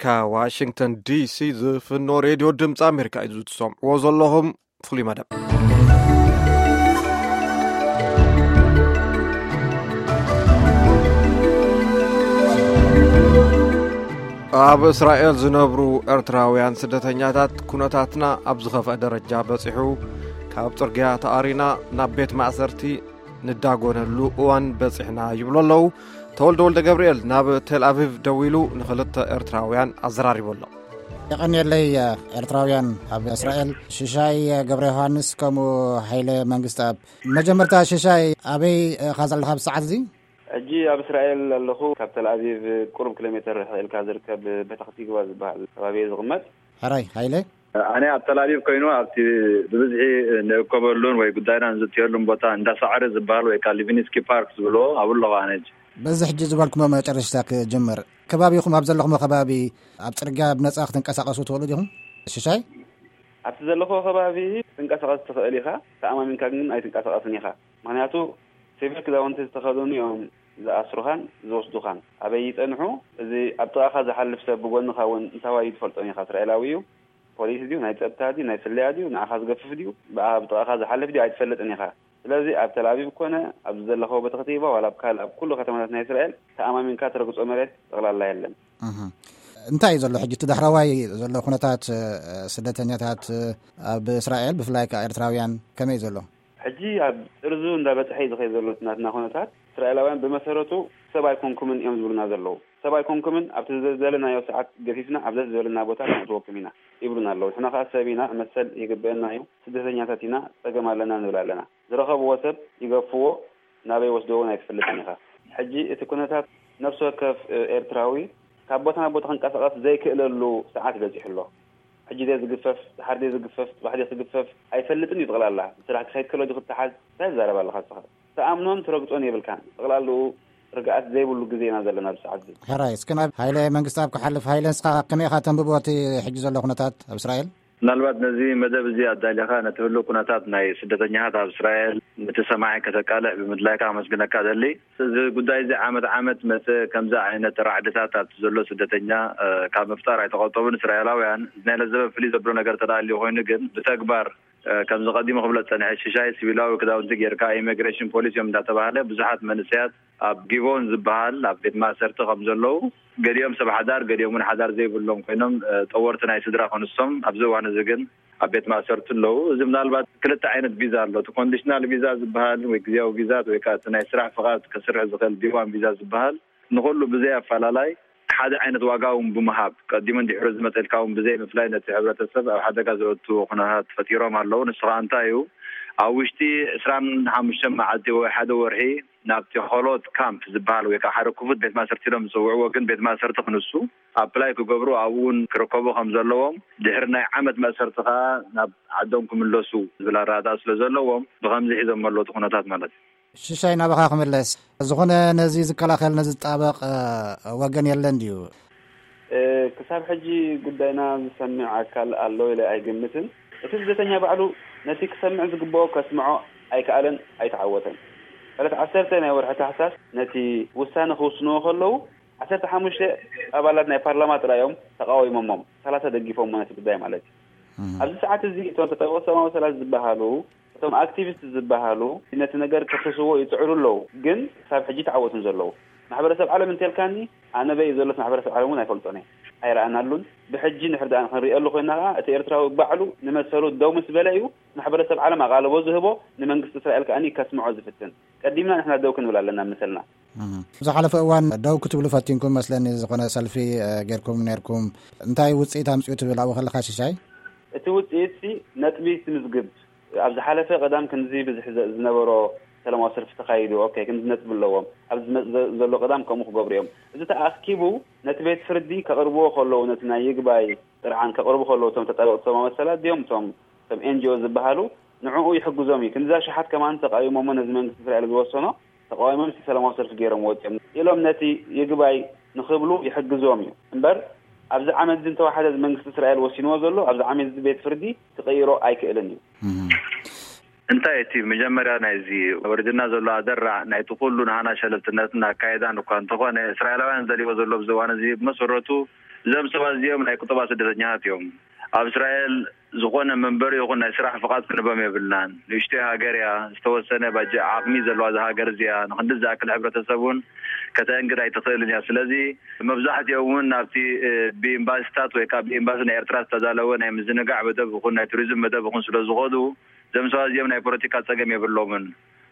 ካብ ዋሽንግተን ዲሲ ዝፍኖ ሬድዮ ድምፂ ኣሜሪካ እዩ። ዝትሰምዕዎ ዘለኹም ፍሉይ መደብ። ኣብ እስራኤል ዝነብሩ ኤርትራውያን ስደተኛታት፣ ኩነታትና ኣብ ዝኸፍአ ደረጃ በጺሑ፣ ካብ ጽርግያ ተኣሪና ናብ ቤት ማእሰርቲ ንዳጎነሉ እዋን በጺሕና ይብሉ ኣለዉ። ተወልደ ወልደ ገብርኤል ናብ ቴል ኣቪቭ ደዊሉ ንኽልተ ኤርትራውያን ኣዘራሪቡ ኣሎ። የቐንየለይ፣ ኤርትራውያን ኣብ እስራኤል፣ ሽሻይ ገብረ ዮሃንስ ከምኡ ሃይለ መንግስትኣብ። መጀመርታ ሽሻይ፣ ኣበይ ኢኻ ዘለኻ ኣብዚ ሰዓት እዚ? ሕጂ ኣብ እስራኤል ኣለኹ። ካብ ተል ኣቪቭ ቁሩብ ኪሎ ሜተር ርሕቕ ኢልካ ዝርከብ ቤታኽቲግባ ዝበሃል ከባቢ እየ ዝቕመጥ። ሕራይ ሃይለ? ኣነ ኣብ ተል ኣቪቭ ኮይኑ ኣብቲ ብብዝሒ ንእከበሉን ወይ ጉዳይና ንዝትየሉን ቦታ እንዳ ሳዕሪ ዝበሃል ወይ ከዓ ሊቪንስኪ ፓርክ ዝብልዎ ኣብኡ ኣለኹ ኣነ ሕጂ። በዚ ሕጂ ዝበልኩሞ መጨረሽታ ክጅምር፣ ከባቢኹም ኣብ ዘለኹሞ ከባቢ ኣብ ጽርግያ ብነጻ ክትንቀሳቐሱ ትኽእሉ ዲኹም? ሽሻይ? ኣብቲ ዘለኹዎ ከባቢ ክትንቀሳቐስ ትኽእል ኢኻ፣ ተኣማሚንካ ግን ኣይትንቀሳቐስን ኢኻ። ምኽንያቱ ሲቪል ክዳውንቲ ዝተኸደኑ እዮም ዝኣስሩኻን ዝወስዱኻን። ኣበይ ይጸንሑ? እዚ ኣብ ጥቓኻ ዝሓልፍ ሰብ ብጎንኻ እውን እንታዋይ እዩ ትፈልጦን ኢኻ። እስራኤላዊ እዩ፣ ፖሊስ ድዩ፣ ናይ ጸጥታ ድዩ፣ ናይ ስለያ ድዩ፣ ንዓኻ ዝገፍፍ ድዩ፣ ብኣ-፣ ኣብ ጥቓኻ ዝሓልፍ ድዩ ኣይትፈልጥን ኢኻ። ስለዚ ኣብ ተል ኣቪቭ ኮነ ኣብዚ ዘለኸዎ ቤተ ክቲባ ዋላ ኣብ ካልእ ኣብ ኩሉ ከተማታት ናይ እስራኤል ተኣማሚንካ ትረግጾ መሬት ጠቕላላ የለን። እህ። እንታይ እዩ ዘሎ ሕጂ እቲ ዳሕረዋይ ዘሎ ኩነታት፣ እ፣ ስደተኛታት፣ እ፣ ኣብ እስራኤል ብፍላይ ከኣ ኤርትራውያን ከመይ እዩ ዘሎ? ሕጂ ኣብ ጥርዙ እንዳበጽሐ እዩ ዝኸይድ ዘሎ ናትና ኩነታት። እስራኤላውያን ብመሰረቱ ሰብ ኣይኮንኩምን እዮም ዝብሉና ዘለዉ። ሰብ ኣይኮንኩምን፣ ኣብቲ ዝደለናዮ ሰዓት ገፊፍና ኣብ ደስ ዝበለና ቦታ ነእትወኩም ኢና ይብሉና ኣለዉ። ንሕና ከኣ ሰብ ኢና፣ መሰል ይግበአና እዩ፣ ስደተኛታት ኢና፣ ጸገም ኣለና ንብል ኣለና። ዝረኸብዎ ሰብ ይገፍዎ፣ ናበይ ወስደዎ ኣይትፈልጥን ኢኻ። ሕጂ እቲ ኩነታት ነፍሲ ወከፍ፣ እ፣ ኤርትራዊ ካብ ቦታ ናብ ቦታ ክንቀሳቐስ ዘይክእለሉ ሰዓት በጺሑ ኣሎ። ሕጂ ድየ ዝግፈፍ፣ ደሓር ድየ ዝግፈፍ፣ ጽባሕ ድየ ክግፈፍ ኣይፈልጥን እዩ። ጠቕላላ ስራሕ ክኸይድ ከሎ ድዩ ክተሓዝ፣ እንታይ ትዛረብ ኣለኻ ንስኻ? ትኣምኖን ትረግጾን የብልካን። ጠቕላላኡ ርግኣት ዘይብሉ ግዜ ኢና ዘለና ኣብዚ ሰዓት እዚ። ሕራይ፣ እስኪ ናብ ሃይለ መንግስትኣብ ክሓልፍ። ሃይለ፣ ንስኻ ከመይ ኢኻ ተንብቦ እቲ ሕጂ ዘሎ ኩነታት ኣብ እስራኤል? ምናልባት ነዚ መደብ እዚ ኣዳሊኻ ነቲ ህሉው ኩነታት ናይ ስደተኛታት ኣብ እስራኤል ነቲ ሰማዒ ከተቃልዕ ብምድላይካ ከመስግነካ እደሊ። እዚ ጉዳይ እዚ ዓመት ዓመት መጸ ከምዚ ዓይነት ራዕድታት ኣብቲ ዘሎ ስደተኛ፣ እ፣ ካብ ምፍጣር ኣይተቆጠቡን እስራኤላውያን። እዚ ናይ ለዘበ ፍልይ ዘብሎ ነገር ተዳልዩ ኮይኑ ግን ብተግባር፣ እ፣ ከምዚ ቀዲሙ ክብሎ ዝጸንሐ ሽሻይ ሲቪላዊ ክዳውንቲ ጌርካ ኢሚግሬሽን ፖሊስ እዮም እንዳተባሃለ ብዙሓት መንእሰያት ኣብ ጊቦን ዝበሃል ኣብ ቤት ማእሰርቲ ከም ዘለዉ፣ ገሊኦም ሰብ ሓዳር፣ ገሊኦም እውን ሓዳር ዘይብሎም ኮይኖም፣ እ፣ ጠወርቲ ናይ ስድራ ክንሶም ኣብዚ እዋን እዚ ግን ኣብ ቤት ማእሰርቲ ኣለዉ። እዚ ምናልባት ክልተ ዓይነት ቪዛ ኣሎ። እቲ ኮንዲሽናል ቪዛ ዝበሃል ወይ ግዜያዊ ቪዛ ወይ ከዓ እቲ ናይ ስራሕ ፍቓድ ከስርሕ ዝኽእል ዲ ዋን ቪዛ ዝበሃል ንኹሉ ብዘይ ኣፈላላይ ሓደ ዓይነት ዋጋ እውን ብምሃብ ቀዲሙን ድሕሪ ዝመፀልካ እውን ብዘይ ምፍላይ ነቲ ሕብረተሰብ ኣብ ሓደጋ ዘእቱ ኩነታት ፈጢሮም ኣለዉ። ንሱ ከዓ እንታይ እዩ? ኣብ ውሽጢ ዕስራን ሓሙሽተን መዓልቲ ወይ ሓደ ወርሒ ናብቲ ሆሎት ካምፕ ዝበሃል ወይ ከዓ ሓደ ክፉት ቤት ማእሰርቲ ኢሎም ዝፅውዕዎ ግን ቤት ማእሰርቲ ክንሱ ኣፕላይ ክገብሩ ኣብኡ እውን ክርከቡ ከም ዘለዎም ድሕሪ ናይ ዓመት መእሰርቲ ከዓ ናብ ዓዶም ክምለሱ ዝብል ኣረዳድኣ ስለ ዘለዎም ብከምዚ ሒዞም ኣለዉ እቲ ኩነታት ማለት እዩ። ሽሻይ ናባኻ ክምለስ። ዝኾነ ነዚ ዝከላኸል ነዚ ዝጣበቕ፣ እ፣ ወገን የለን ድዩ? እ፣ ክሳብ ሕጂ ጉዳይና ዝሰምዕ ኣካል ኣሎ ኢለ ኣይግምትን። እቲ ስደተኛ ባዕሉ ነቲ ክሰምዕ ዝግብኦ ከስምዖ ኣይከኣለን፣ ኣይተዓወተን። ዕለት ዓሰርተ ናይ ወርሒ ታሕሳስ ነቲ ውሳነ ክውስንዎ ከለዉ ዓሰርተ ሓሙሽተ ኣባላት ናይ ፓርላማ ጥራይ እዮም ተቃዊሞሞም፣ ሰላሳ ደጊፎሞ ነቲ ጉዳይ ማለት እዩ። እም። ኣብዚ ሰዓት እዚ እቶም ተጠበቕቲ ሰብኣዊ መሰላት ዝበሃሉ፣ እቶም ኣክቲቪስት ዝበሃሉ ነቲ ነገር ከፍስስዎ ይጽዕሩ ኣለዉ፣ ግን ክሳብ ሕጂ ተዓወቱን ዘለዉ። ማሕበረሰብ ዓለም እንተልካኒ፣ ኣነ በይ ዘሎት ማሕበረሰብ ዓለም እውን ኣይፈልጦን እየ፣ ኣይረኣናሉን። ብሕጂ ንሕር ደኣ ክንሪኤሉ ኮይና ከኣ፣ እቲ ኤርትራዊ ባዕሉ ንመሰሉ ደው ምስ በለ እዩ ማሕበረሰብ ዓለም ኣቓልቦ ዝህቦ፣ ንመንግስቲ እስራኤል ከኣ ከስምዖ ዝፍትን። ቀዲምና ንሕና ደው ክንብል ኣለና መሰልና። እም። ዝሓለፈ እዋን ደው ክትብሉ ፈቲንኩም መስለኒ፣ ዝኾነ ሰልፊ፣ እ፣ ጌርኩም ኔርኩም። እንታይ ውጽኢት ኣምጽኡ ትብል ኣብኡ ከለኻ ሽሻይ? እቲ ውጽኢትሲ ነጥቢ ትምዝግብ። ኣብ ዝሓለፈ ቀዳም ክንዚ ብዝሒ ዘ-፣ ዝነበሮ ሰላማዊ ሰልፊ ተኻይዱ፣ ኦኬ፣ ክንዚ ነጥቢ ኣለዎም። ኣብ ዝመጽእ ዘ-፣ ዘሎ ቀዳም ከምኡ ክገብሩ እዮም። እዚ ተኣኪቡ ነቲ ቤት ፍርዲ ከቕርብዎ ከለዉ፣ ነቲ ናይ ይግባይ ጥርዓን ከቕርቡ ከለዉ፣ እቶም ተጣበቕቲ ሰብኣዊ መሰላት ድዮም፣ እቶም፣ እቶም ኤን ጂ ኦ ዝበሃሉ፣ ንዕኡ ይሕግዞም እዩ። ክንዲ እዛ ሸሓት ከማን ተቃዊሞሞ ነዚ መንግስቲ እስራኤል ዝወሰኖ፣ ተቃዊሞም እስቲ ሰላማዊ ሰልፊ ገይሮም ወጺኦም ኢሎም ነቲ ይግባይ ንኽብሉ ይሕግዞም እዩ። እምበር ኣብዚ ዓመት እዚ እንተወሓደ እዚ መንግስቲ እስራኤል ወሲንዎ ዘሎ፣ ኣብዚ ዓመት እዚ ቤት ፍርዲ ክቕይሮ ኣይክእልን እዩ። እም። እንታይ እቲ መጀመርያ ናይዚ ወሪድና ዘሎ ኣደራዕ ናይቲ ኩሉ ንሃና ሸለልትነትን ኣካይዳን እኳ እንተኾነ፣ እስራኤላውያን ዝደልይዎ ዘሎ ኣብዚ እዋን እዚ ብመሰረቱ እዞም ሰባት እዚኦም ናይ ቁጠባ ስደተኛታት እዮም። ኣብ እስራኤል ዝኾነ መንበሪ ይኹን ናይ ስራሕ ፍቓድ ክንቦም የብልናን። ንእሽተይ ሃገር እያ፣ ዝተወሰነ ባጀ ዓቕሚ ዘለዋ እዛ ሃገር እዚኣ ንክንድዚ ዝኣክል ሕብረተሰብ እውን ከተእንግድ ኣይትኽእልን እያ። ስለዚ መብዛሕትኦም እውን ናብቲ ብኤምባሲታት ወይ ከዓ ብኤምባሲ ናይ ኤርትራ ዝተዳለወ ናይ ምዝንጋዕ መደብ ይኹን ናይ ቱሪዝም መደብ ይኹን ስለ ዝኸዱ፣ እዞም ሰባት እዚኦም ናይ ፖለቲካ ጸገም የብሎምን።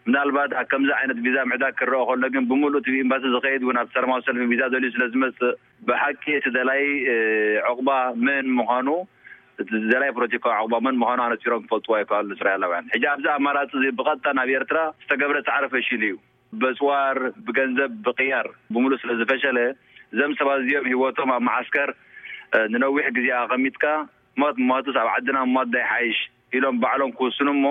ምናልባት ኣብ ከምዚ ዓይነት ቪዛ ምዕዳግ ክረአ ከሎ ግን ብምሉእ እቲ ኤምባሲ ዝኸይድ እውን ኣብቲ ሰላማዊ ሰልፊ ቪዛ ደልዩ ስለ ዝመጽእ፣ ብሓቂ እቲ ደላይ ዕቑባ መን ምዃኑ፣ እቲ ደላይ ፖለቲካዊ ዕቑባ መን ምዃኑ ኣነጺሮም ክፈልጥዎ ኣይከኣሉን እስራኤላውያን። ሕጂ ኣብዚ ኣማራጺ እዚ ብቐጥታ ናብ ኤርትራ ዝተገብረ ጻዕሪ ፈሺሉ እዩ። በጽዋር፣ ብገንዘብ፣ ብቕያር ብምሉእ ስለ ዝፈሸለ፣ እዞም ሰባት እዚኦም ህይወቶም ኣብ መዓስከር ንነዊሕ ግዜ ኣቐሚጥካ፣ ሞት ሞትስ ኣብ ዓድና ሞት ዶ ይሓይሽ ኢሎም ባዕሎም ክውስኑ እሞ፣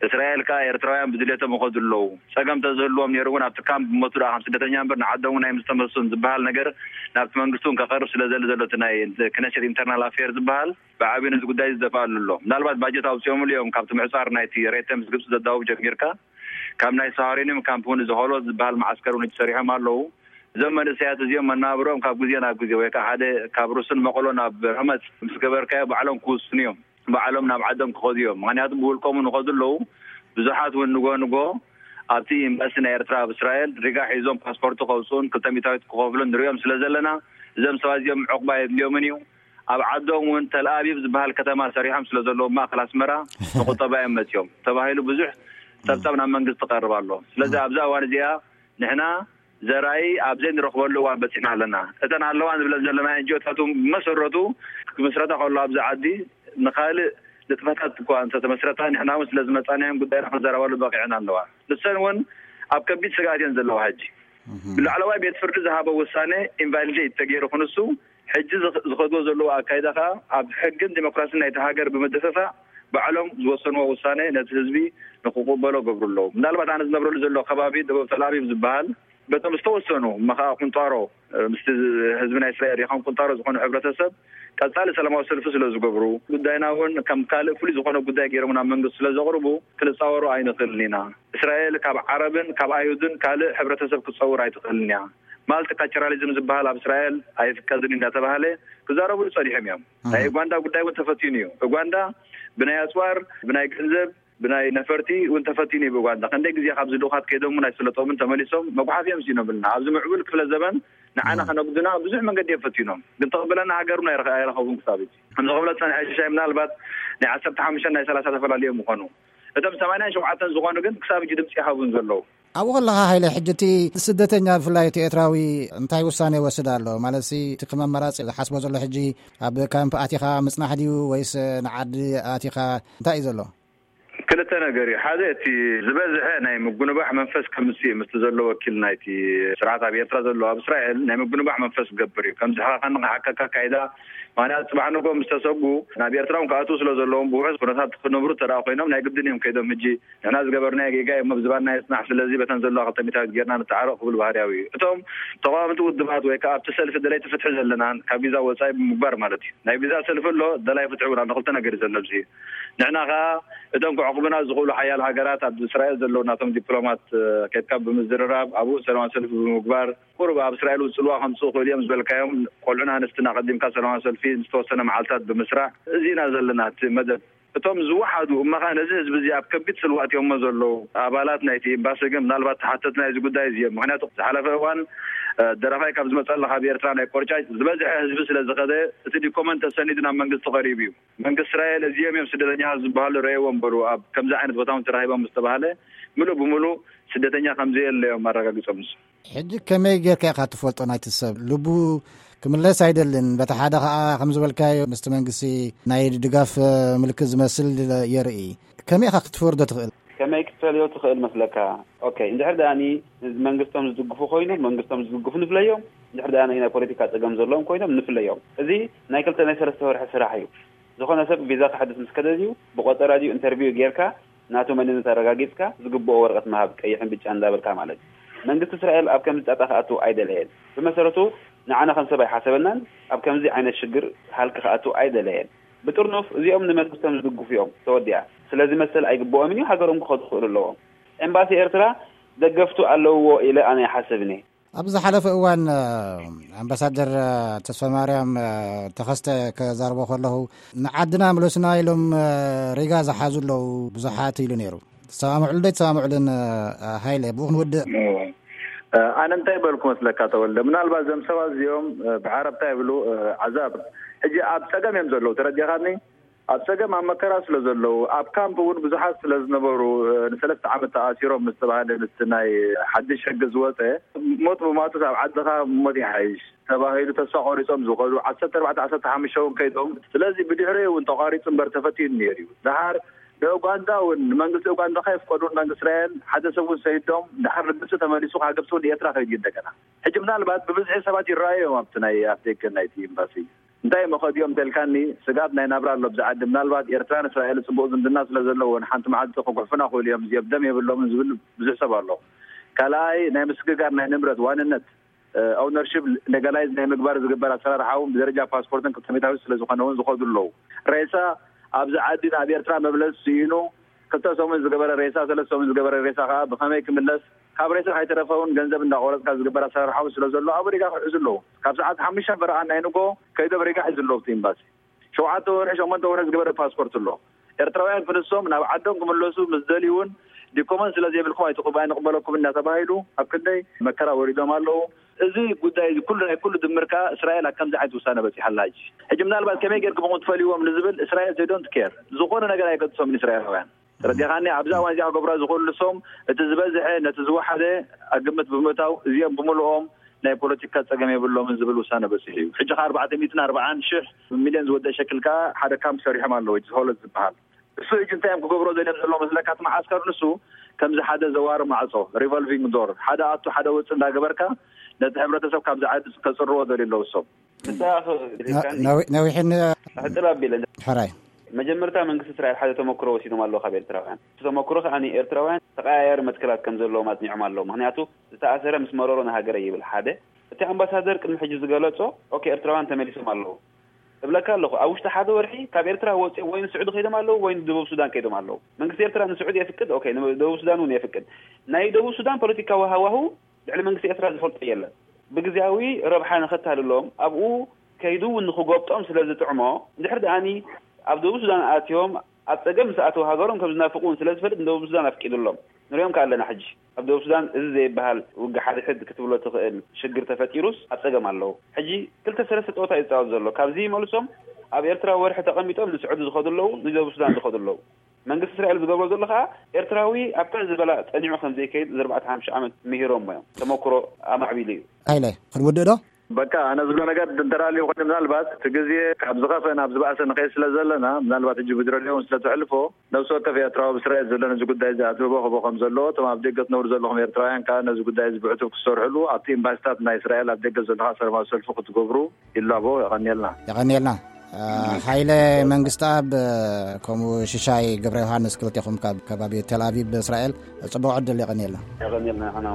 እስራኤል ከኣ ኤርትራውያን ብድሌቶም ይኸዱ ኣለዉ። ጸገም ተዝህልዎም ነይሩ እውን ኣብቲ ካምፕ ብሞቱ ደኣ ከም ስደተኛ እምበር ንዓዶም እውን ኣይምስተመልሱን ዝበሃል ነገር ናብቲ መንግስቲ እውን ከቐርብ ስለ ዘሊ ዘሎ እቲ ናይ ክነሴት ኢንተርናል ኣፌር ዝበሃል ብዓብዩ ነዚ ጉዳይ ዝደፍኣሉ ኣሎ። ምናልባት ባጀት ኣውጺኦምሉ እዮም ካብቲ ምሕጻር ናይቲ ሬተምስ ግብጺ ዘዳውብ ጀሚርካ ካብ ናይ ሳሃሪንም ካምፕ እውን እዚ ሆሎት ዝበሃል መዓስከር እውን ተሰሪሖም ኣለዉ። እዞም መንእሰያት እዚኦም መናብሮም ካብ ግዜ ናብ ግዜ ወይ ከዓ ሓደ ካብ ሩስን መቐሎ ናብ ረመጽ ምስ ገበርካዮ ባዕሎም ክውስኑ እዮም። ባዕሎም ናብ ዓዶም ክኸዱ እዮም። ምኽንያቱ ብውልቆም ንኸዱ ኣለዉ። ብዙሓት እውን ንጎ ንጎ ኣብቲ ኤምባሲ ናይ ኤርትራ ኣብ እስራኤል ሪጋ ሒዞም ፓስፖርቱ ከውፅኡን ክልተ ሚእታዊት ክኸፍሉን ንሪኦም ስለ ዘለና እዞም ሰባት እዚኦም ዕቑባ የድልዮምን እዩ። ኣብ ዓዶም እውን ተልኣቢብ ዝበሃል ከተማ ሰሪሖም ስለ ዘለዉ ማእኸል ኣስመራ ንቁጠባ እዮም መፅዮም ተባሂሉ ብዙሕ ጸብጻብ ናብ መንግስቲ ትቐርብ ኣሎ። ስለዚ ኣብዛ እዋን እዚኣ ንሕና ዘራይ ኣብ ዘይንረኽበሉ እዋን በጺሕና ኣለና። እተን ኣለዋ ንብለን ዘለና ኤንጂኦታት እውን ብመሰረቱ ክምስረታ ከሎ ኣብዚ ዓዲ ንኻልእ ንጥፈታት እኳ እንተተመስረታ ንሕና እውን ስለ ዝመጻናዮም ጉዳይና ክንዘረባሉ በቒዐን ኣለዋ። ንሰን እውን ኣብ ከቢድ ስግኣት እየን ዘለዋ። ሕጂ ብላዕለዋይ ቤት ፍርዲ ዝሃቦ ውሳነ ኢንቫሊዴት ተገይሩ ክንሱ ሕጂ ዝኸድዎ ዘለዎ ኣካይዳ ከኣ ኣብ ሕግን ዲሞክራሲን ናይቲ ሃገር ብምድፍፋእ ባዕሎም ዝወሰንዎ ውሳነ ነቲ ህዝቢ ንክቕበሎ ገብሩ ኣለዉ። ምናልባት ኣነ ዝነብረሉ ዘሎ ከባቢ ደቡብ ተልኣቢብ ዝበሃል በቶም ዝተወሰኑ መኸዓ ቁንጣሮ ምስቲ ህዝቢ ናይ እስራኤል ይኹን ቁንጣሮ ዝኾነ ሕብረተሰብ ቀጻሊ ሰላማዊ ሰልፊ ስለ ዝገብሩ ጉዳይና እውን ከም ካልእ ፍሉይ ዝኾነ ጉዳይ ገይሮም ናብ መንግስቲ ስለ ዘቕርቡ ክንጻወሮ ኣይንኽእልን ኢና። እስራኤል ካብ ዓረብን ካብ ኣይሁድን ካልእ ሕብረተሰብ ክትጸውር ኣይትኽእልን እያ። ማልቲካልቸራሊዝም ዝበሃል ኣብ እስራኤል ኣይፍቀድን እንዳተባሃለ ክዛረብሉ ጸኒሖም እዮም። ናይ ኡጋንዳ ጉዳይ እውን ተፈቲኑ እዩ። ኡጋንዳ ብናይ ኣጽዋር፣ ብናይ ገንዘብ፣ ብናይ ነፈርቲ እውን ተፈቲኑ እዩ። ብኡጋንዳ ክንደይ ግዜ ካብዚ ልኡኻት ከይዶም እውን ኣይፈለጦምን ተመሊሶም መጉሓፊ እዮም ስኢኖምልና። ኣብዚ ምዕቡል ክፍለ ዘበን ንዓና ከነጉድና ብዙሕ መንገዲ እዮም ፈቲኖም። ግን ተቕብለና ሃገር እውን ኣይረኸ-፣ ኣይረኸቡን ክሳብ ሕጂ። ከምዚ ክብሎ ዝጸንሐ ሽሻይ ምናልባት ናይ ዓሰርተ ሓሙሽተ ናይ ሰላሳ ተፈላለዮም ምኾኑ። እቶም ሰማንያን ሸውዓተን ዝኾኑ ግን ክሳብ ሕጂ ድምጺ ይሃቡን ዘለዉ። ኣብኡ ከለኻ ሃይለ፣ ሕጂ እቲ ስደተኛ ብፍላይ እቲ ኤርትራዊ እንታይ ውሳኔ ይወስድ ኣሎ? ማለት ሲ እቲ ከም ኣማራጺ ዝሓስቦ ዘሎ ሕጂ ኣብ ካምፕ ኣቲኻ ምጽናሕ ድዩ ወይስ ንዓዲ ኣቲኻ እንታይ እዩ ዘሎ? ክልተ ነገር እዩ። ሓደ እቲ ዝበዝሐ ናይ ምጉንባሕ መንፈስ ከምጽእ እዩ ምስቲ ዘሎ ወኪል ናይቲ ስርዓት ኣብ ኤርትራ ዘሎ ኣብ እስራኤል ናይ ምጉንባሕ መንፈስ ክገብር እዩ። ከምዚ ሓኻኻ ንኽሓከካ ኣካይዳ ምኽንያቱ ጽባሕ ንግሆ ምስ ተሰጉ ናብ ኤርትራ እውን ክኣትዉ ስለ ዘለዎም ብውሑስ ኩነታት ክነብሩ ተደኣ ኮይኖም ናይ ግድን እዮም ከይዶም ሕጂ ንሕና ዝገበርናዮ ጌጋ እዩ እሞ ብዝባንና የጽናሕ፣ ስለዚ በተን ዘለዋ ክልተ ሚእታዊት ጌርና ንተዓረቕ ክብል ባህርያዊ እዩ። እቶም ተቓወምቲ ውድባት ወይ ከኣ ኣብቲ ሰልፊ ደለይቲ ፍትሒ ዘለናን ካብ ቪዛ ወጻኢ ብምግባር ማለት እዩ። ናይ ቪዛ ሰልፊ ኣሎ፣ ደላይ ፍትሒ እውን ኣሎ። ክልተ ነገር እዩ ዘሎ ኣብዚ። ንሕና ከኣ እቶም ክዕቑቡና ዝኽእሉ ሓያል ሃገራት ኣብ እስራኤል ዘለዉ ናቶም ዲፕሎማት፣ እ፣ ከድካ ብምዝርራብ ኣብኡ ሰላማዊ ሰልፊ ብምግባር ቁሩብ ኣብ እስራኤል እውን ጽልዋ ከምጽኡ ይኽእሉ እዮም ዝበልካዮም ቆልዑን ኣንስትን ኣቐዲምካ ሰላማዊ ሰልፊ ዝተወሰነ መዓልታት ብምስራዕ እዚ ኢና ዘለና እቲ መደብ። እቶም ዝወሓዱ እመኻ ነዚ ህዝቢ እዚ ኣብ ከቢድ ጽልዋ ኣእትዮሞ ዘለዉ ኣባላት ናይቲ ኤምባሲ ግን ምናልባት ተሓተቲ ናይዚ ጉዳይ እዚ እዮም። ምኽንያቱ ዝሓለፈ እዋን፣ እ፣ ደራፋይ ካብ ዝመጸላ ካብ ኤርትራ ናይ ቆርጫጭ ዝበዝሐ ህዝቢ ስለ ዝኸደ እቲ ዲኮመንት ተሰኒዱ ናብ መንግስቲ ቀሪቡ እዩ። መንግስቲ እስራኤል እዚኦም እዮም ስደተኛታት ዝበሃሉ ረእይዎም በሉ ኣብ ከምዚ ዓይነት ቦታ እውን ተራኺቦም ምስ ተባህለ ምሉእ ብምሉእ ስደተኛ ከም ዘየለ እዮም ኣረጋጊጾም ንሱ። ሕጂ ከመይ ጌርካ ኢኻ ትፈልጦ ናይቲ ሰብ? ልቡ ክምለስ ኣይደልን። በቲ ሓደ ኸኣ ከም ዝበልካዮ ምስቲ መንግስቲ ናይ ድጋፍ ምልክት ዝመስል የርኢ። ከመይ ኢኻ ክትፈርዶ ትኽእል? ከመይ ክትፈልዮ ትኽእል መስለካ? ኦኬ፣ እንድሕር ደኣኒ መንግስቶም ዝድግፉ ኮይኖም፣ መንግስቶም ዝድግፉ ንፍለዮም። እንድሕር ደኣ ናይ ፖለቲካ ጸገም ዘለዎም ኮይኖም ንፍለዮም። እዚ ናይ ክልተ ናይ ሰለስተ ወርሒ ስራሕ እዩ። ዝኾነ ሰብ ቪዛ ክሕድስ ምስ ከደ ድዩ ብቆጸራ ድዩ ኢንተርቪው ጌርካ ናቱ መንነት ኣረጋጊጽካ ዝግብኦ ወረቐት ምሃብ ቀይሕን ብጫን እንዳበልካ ማለት እዩ። መንግስቲ እስራኤል ኣብ ከምዚ ጣጣ ክኣቱ ኣይደለየን። ብመሰረቱ ንዓና ከም ሰብ ኣይሓሰበናን ኣብ ከምዚ ዓይነት ሽግር ሃልኪ ክኣቱ ኣይደለየን። ብጥርኑፍ እዚኦም ንመንግስቶም ዝድግፉ እዮም። ተወዲኣ። ስለዚ መሰል ኣይግብኦምን እዩ፣ ሃገሮም ክኸዱ ክኽእሉ ኣለዎም። ኤምባሲ ኤርትራ ደገፍቱ ኣለውዎ ኢለ ኣነ ይሓስብን እየ። ኣብ ዝሓለፈ እዋን ኣምባሳደር ተስፋማርያም ተኸስተ ከዛርቦ ከለኹ፣ ንዓድና ምለሱና ኢሎም ሪጋ ዝሓዙ ኣለዉ ብዙሓት ኢሉ ነይሩ። ትሰማምዕሉ ዶ ኣይትሰማምዕሉን? ሃይለ፣ ብኡ ክንውድእ። ኣነ እንታይ በልኩ መስለካ ተወልደ? ምናልባት እዞም ሰባት እዚኦም ብዓረብታ ይብሉ ዓዛብ፣ ሕጂ ኣብ ፀገም እዮም ዘለዉ። ተረዲኻኒ? ኣብ ፀገም ኣብ መከራ ስለ ዘለዉ፣ ኣብ ካምፕ እውን ብዙሓት ስለ ዝነበሩ፣ ንሰለስተ ዓመት ተኣሲሮም ምስ ተባሃለ፣ ምስቲ ናይ ሓድሽ ሕጊ ዝወፀ፣ ሞት ብማቱስ ኣብ ዓድኻ ሞት ይሓይሽ ተባሂሉ ተስፋ ቆሪፆም ዝኸዱ ዓሰርተ ኣርባዕተ ዓሰርተ ሓሙሽተ እውን ከይዶም። ስለዚ ብድሕሪኡ እውን ተቋሪፁ እምበር ተፈቲኑ ነይሩ እዩ። ደሓር ንኡጋንዳ እውን፣ ንመንግስቲ ኡጋንዳ ከየፍቀዱን መንግስቲ እስራኤል ሓደ ሰብ እውን ሰይዶም፣ ደሓር ንግብፂ ተመሊሱ ካብ ግብፂ እውን ንኤርትራ ከይዱ እዩ እንደገና። ሕጂ ምናልባት ብብዝሒ ሰባት ይረኣዩ እዮም ኣብቲ ናይ ኣፍደገ ናይቲ ኤምባሲ። እንታይ እሞ ከድዮም እንተልካኒ፣ ስግኣት ናይ ናብራ ኣሎ ኣብዚ ዓዲ። ምናልባት ኤርትራን እስራኤል ጽቡቕ ዝምድና ስለ ዘለዎን ሓንቲ መዓልቲ ክጉሕፉና ክእሉ እዮም፣ እዚኦም ደም የብሎምን ዝብል ብዙሕ ሰብ ኣሎ። ካልኣይ ናይ ምስግጋር ናይ ንብረት ዋንነት ኦውነርሺፕ ሌጋላይዝ ናይ ምግባር ዝግበር ኣሰራርሓ እውን ብደረጃ ፓስፖርትን ክልተ ሚእታዊት ስለ ዝኾነ እውን ዝኸዱ ኣለዉ። ሬሳ ኣብዚ ዓዲ ናብ ኤርትራ መብለስ ስኢኑ ክልተ ሰሙን ዝገበረ ሬሳ፣ ሰለስተ ሰሙን ዝገበረ ሬሳ ከዓ ብኸመይ ክምለስ፣ ካብ ሬሳ ከይተረፈ እውን ገንዘብ እንዳቆረፅካ ዝግበር ኣሰራርሓ እውን ስለ ዘሎ ኣብኡ ሪጋ ክሕዙ ኣለዉ። ካብ ሰዓት ሓሙሽተ ፈረቓ ናይ ንጎ ከይዶም ሪጋ ሒዙ ኣለዉ ኣብቲ ኤምባሲ። ሸውዓተ ወርሒ ሸሞንተ ወርሒ ዝገበረ ፓስፖርት ኣሎ። ኤርትራውያን ክንሶም ናብ ዓዶም ክምለሱ ምስ ደልዩ እውን ዲኮመን ስለ ዘይብልኩም ኣይትቕበ ኣይንቕበለኩም እናተባሂሉ ኣብ ክንደይ መከራ ወሪዶም ኣለዉ። እዚ ጉዳይ እዚ ኩሉ ናይ ኩሉ ድምር ከዓ እስራኤል ኣብ ከምዚ ዓይነት ውሳነ በፂሓ ኣላ። ሕጂ ሕጂ ምናልባት ከመይ ጌርኩም ኢኹም ትፈልይዎም ንዝብል እስራኤል they don't care፣ ዝኾነ ነገር ኣይገድሶምን እስራኤላውያን። ተረዲኻኒ? ኣብዚ እዋን እዚኣ ክገብራ ዝኽእሉ ንሶም እቲ ዝበዝሐ ነቲ ዝወሓደ ኣብ ግምት ብምእታው እዚኦም ብምልኦም ናይ ፖለቲካ ፀገም የብሎምን ዝብል ውሳነ በፂሑ እዩ። ሕጂ ከ ኣርባዕተ ሚእትን ኣርባዓን ሽሕ ሚልዮን ዝወደእ ሸክል ከዓ ሓደ ካምፕ ሰሪሖም ኣለዉ፣ ሆለት ዝበሃል። እሱ ሕጂ እንታይ እዮም ክገብሮ ዘልዮም ዘለዉ መስለካ? እቲ መዓስከር ንሱ ከምዚ ሓደ ዘዋሪ ማዕፆ፣ ሪቮልቪንግ ዶር፣ ሓደ ኣቱ ሓደ ወፅእ እንዳገበርካ ነቲ ሕብረተሰብ ካብዚ ዓዲ ከፅርዎ ደልዩ ኣለዉ እሶም። ንስኻ ነዊሕን ሕፅር ኣቢለ ሕራይ መጀመርታ መንግስቲ እስራኤል ሓደ ተመክሮ ወሲዶም ኣለዉ ካብ ኤርትራውያን። እቲ ተመክሮ ከዓ ንኤርትራውያን ተቀያያሪ መትከላት ከም ዘለዎም ኣፅኒዖም ኣለዉ። ምክንያቱ ዝተኣሰረ ምስ መረሮ ንሃገረ ይብል ሓደ። እቲ ኣምባሳደር ቅድሚ ሕጂ ዝገለጾ ኦኬ ኤርትራውያን ተመሊሶም ኣለዉ እብለካ ኣለኹ። ኣብ ውሽጢ ሓደ ወርሒ ካብ ኤርትራ ወፂኦም ወይ ንስዑዲ ከይዶም ኣለዉ ወይ ንደቡብ ሱዳን ከይዶም ኣለዉ። መንግስቲ ኤርትራ ንስዑዲ የፍቅድ፣ ኦኬ ንደቡብ ሱዳን እውን የፍቅድ። ናይ ደቡብ ሱዳን ፖለቲካዊ ሃዋሁ ልዕሊ መንግስቲ ኤርትራ ዝፈልጦ የለን። ብግዝያዊ ረብሓ ንኸታልሎም ኣብኡ ከይዱ እውን ንኽጎብጦም ስለ ዝጥዕሞ፣ እንድሕር ደኣኒ ኣብ ደቡብ ሱዳን ኣትዮም ኣብ ጸገም ምስ ኣተው ሃገሮም ከም ዝናፍቑ እውን ስለ ዝፈልጥ ንደቡብ ሱዳን ኣፍቂዱሎም። ንሪኦም ከኣ ኣለና ሕጂ። ኣብ ደቡብ ሱዳን እዚ ዘይበሃል ውግእ ሓድሕድ ክትብሎ ትኽእል ሽግር ተፈጢሩስ ኣብ ጸገም ኣለዉ። ሕጂ ክልተ ሰለስተ ጸወታ እዩ ዝጻወት ዘሎ። ካብዚ ይመልሶም ኣብ ኤርትራ ወርሒ ተቐሚጦም ንስዑዲ ዝኸዱ ኣለዉ፣ ንደቡብ ሱዳን ዝኸዱ ኣለዉ። መንግስቲ እስራኤል ዝገብሮ ዘሎ ከኣ ኤርትራዊ ኣብታ ዝበላ ጸኒዑ ከም ዘይከይድ እዚ ኣርባዕተ ሓሙሽተ ዓመት ምሂሮሞ እዮም። ተመክሮ ኣማዕቢሉ እዩ። ሃይለ ክንውድእ ዶ? በቃ ኣነ ዝብሎ ነገር እንተዳልዩ ኮይኑ ምናልባት እቲ ግዜ ካብ ዝኸፈ ናብ ዝበኣሰ ንኸይድ ስለ ዘለና ምናልባት ሕጂ ብድረድዮ እውን ስለ ተሕልፎ ነብሲ ወከፍ ኤርትራዊ ኣብ እስራኤል ዘሎ ነዚ ጉዳይ እዚ ኣድህቦ ክህቦ ከም ዘለዎ እቶም ኣብ ደገ ትነብሩ ዘለኹም ኤርትራውያን ከኣ ነዚ ጉዳይ እዚ ብዕቱብ ክትሰርሕሉ ኣብቲ ኤምባሲታት ናይ እስራኤል ኣብ ደገ ዘሎ ከኣ ሰላማዊ ሰልፊ ክትገብሩ ይላቦ። የቐንየልና። የቐንየልና። ሓይለ መንግስቲኣብ ከምኡ ሽሻይ ገብረ ዮሃንስ ክልቴኹም ካብ ከባቢ ቴል ኣቪቭ እስራኤል ጽቡቕ ዕድል። የቐንየልና። የቐንየልና።